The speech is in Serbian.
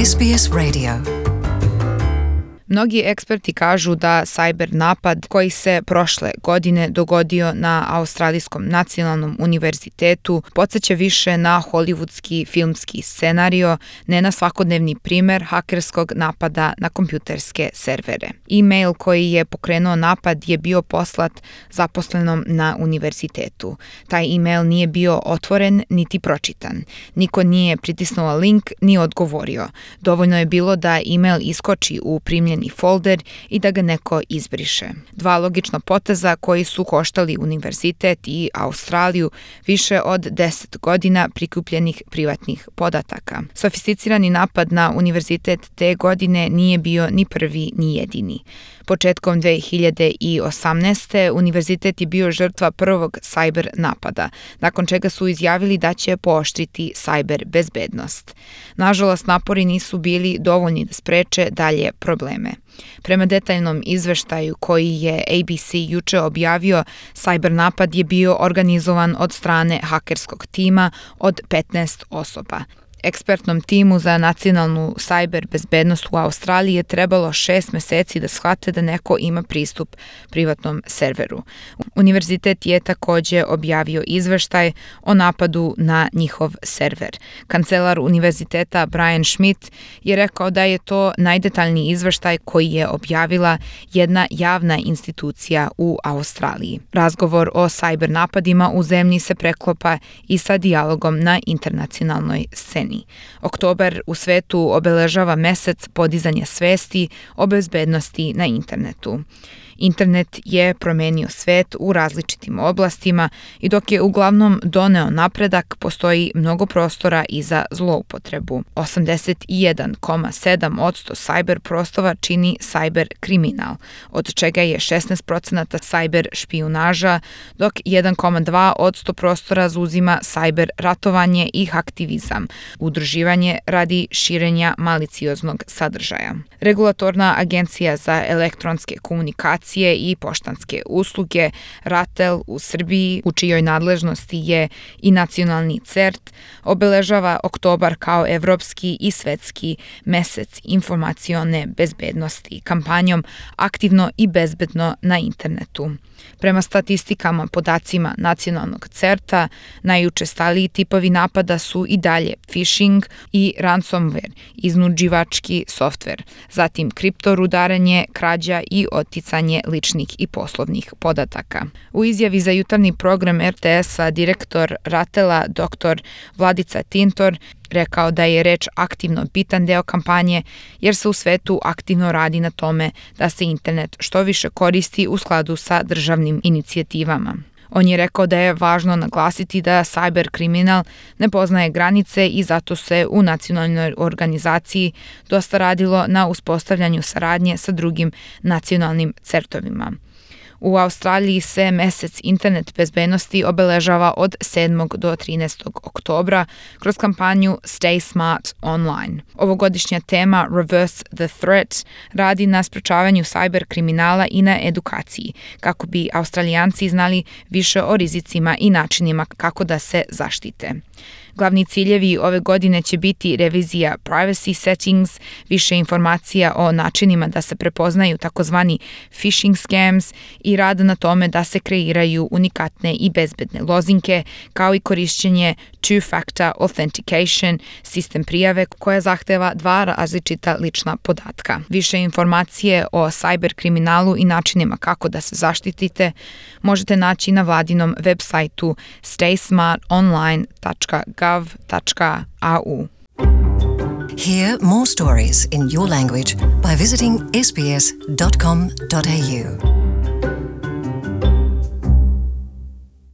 SBS Radio. Mnogi eksperti kažu da sajber napad koji se prošle godine dogodio na Australijskom nacionalnom univerzitetu podsjeća više na hollywoodski filmski scenario, ne na svakodnevni primer hakerskog napada na kompjuterske servere. E-mail koji je pokrenuo napad je bio poslat zaposlenom na univerzitetu. Taj e-mail nije bio otvoren niti pročitan. Niko nije pritisnuo link ni odgovorio. Dovoljno je bilo da e-mail iskoči u primljeni folder i da ga neko izbriše. Dva logična poteza koji su koštali univerzitet i Australiju više od 10 godina prikupljenih privatnih podataka. Sofisticirani napad na univerzitet te godine nije bio ni prvi ni jedini. Početkom 2018. univerzitet je bio žrtva prvog sajber napada, nakon čega su izjavili da će pooštriti sajber bezbednost. Nažalost, napori nisu bili dovoljni da spreče dalje probleme. Prema detaljnom izveštaju koji je ABC juče objavio, sajber napad je bio organizovan od strane hakerskog tima od 15 osoba. Ekspertnom timu za nacionalnu sajber bezbednost u Australiji je trebalo 6 meseci da shvate da neko ima pristup privatnom serveru. Univerzitet je takođe objavio izveštaj o napadu na njihov server. Kancelar univerziteta Brian Schmidt je rekao da je to najdetaljniji izveštaj koji je objavila jedna javna institucija u Australiji. Razgovor o sajber napadima u zemlji se preklopa i sa dijalogom na internacionalnoj sceni. Oktobar u svetu obeležava mesec podizanja svesti o bezbednosti na internetu. Internet je promenio svet u različitim oblastima i dok je uglavnom doneo napredak, postoji mnogo prostora i za zloupotrebu. 81,7% sajber prostova čini sajber kriminal, od čega je 16% sajber špijunaža, dok 1,2% prostora zauzima sajber ratovanje i haktivizam, udruživanje radi širenja malicioznog sadržaja. Regulatorna agencija za elektronske komunikacije i poštanske usluge RATEL u Srbiji, u čijoj nadležnosti je i nacionalni CERT, obeležava oktobar kao evropski i svetski mesec informacione bezbednosti kampanjom Aktivno i bezbedno na internetu. Prema statistikama podacima nacionalnog CERT-a, najučestaliji tipovi napada su i dalje phishing i ransomware, iznuđivački softver, zatim kriptorudarenje, krađa i oticanje ličnih i poslovnih podataka. U izjavi za jutarnji program RTS-a direktor RATEL-a dr. Vladica Tintor rekao da je reč aktivno bitan deo kampanje jer se u svetu aktivno radi na tome da se internet što više koristi u skladu sa državnim inicijativama. On je rekao da je važno naglasiti da sajber kriminal ne poznaje granice i zato se u nacionalnoj organizaciji dosta radilo na uspostavljanju saradnje sa drugim nacionalnim CERT-ovima. U Australiji se mesec internet bezbednosti obeležava od 7. do 13. oktobra kroz kampanju Stay Smart Online. Ovogodišnja tema Reverse the Threat radi na sprečavanju sajber kriminala i na edukaciji, kako bi Australijanci znali više o rizicima i načinima kako da se zaštite. Glavni ciljevi ove godine će biti revizija privacy settings, više informacija o načinima da se prepoznaju takozvani phishing scams i rad na tome da se kreiraju unikatne i bezbedne lozinke, kao i korišćenje two-factor authentication, sistem prijave koja zahteva dva različita lična podatka. Više informacije o sajber kriminalu i načinima kako da se zaštitite možete naći na vladinom web sajtu staysmartonline.gov.au. Hear more stories in your language by visiting sbs.com.au.